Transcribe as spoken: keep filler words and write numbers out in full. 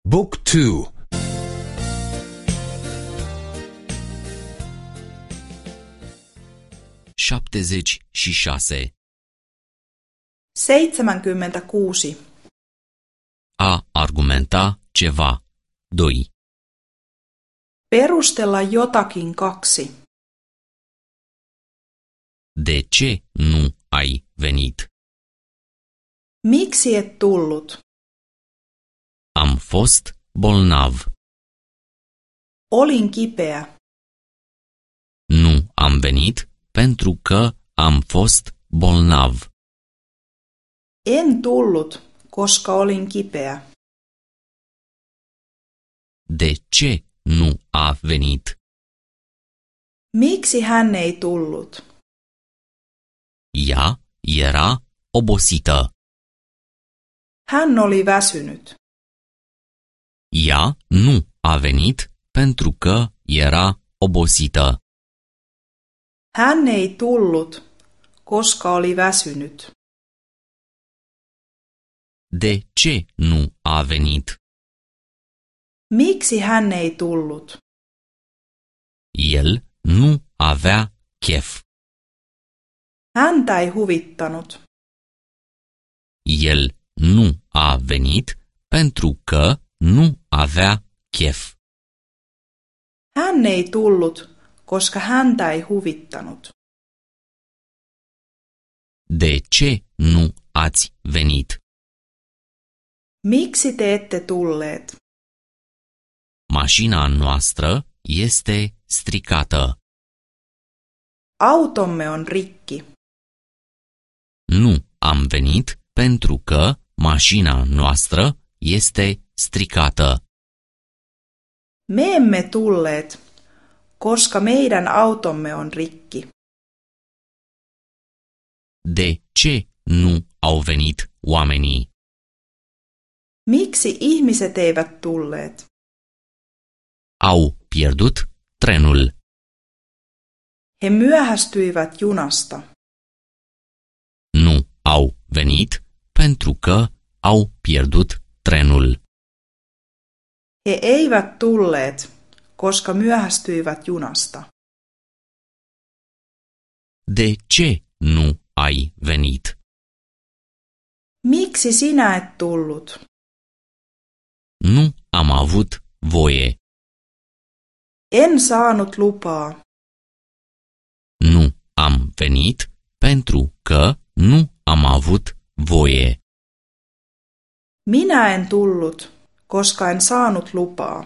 Book two. Șaptezeci și șase. Seitsemänkymmentäkuusi. A argumenta ceva. Doi. Perustella jotakin kaksi. De ce nu ai venit? Miksi et tullut? Am fost bolnav. Olin kipeä. Nu am venit pentru că am fost bolnav. En tullut, koska olin kipeä. De ce nu a venit? Miksi hän ei tullut? Ea era obosită. Hän oli väsynyt. Ea nu a venit pentru că era obosită. Hän ei tullut, koska oli väsynyt. De ce nu a venit? Miksi hän ei tullut? El nu avea chef. Häntä ei huvittanut. El nu a venit pentru că nu avea chef. Hän ei tullut, koska häntä ei huvittanut. De ce nu ați venit? Miksi te ette tulleet? Mașina noastră este stricată. Automme on rikki. Nu am venit pentru că mașina noastră este stricată. Me emme tulleet, koska meidän automme on rikki. De ce nu au venit oamenii? Miksi ihmiset eivät tulleet? Au pierdut trenul. He myöhästyivät junasta. Nu au venit pentru că au pierdut trenul. He eivät tulleet, koska myöhästyivät junasta. De ce nu ai venit? Miksi sinä et tullut? Nu am avut voie. En saanut lupaa. Nu am venit pentru că nu am avut voie. Minä en tullut, koska en saanut lupaa.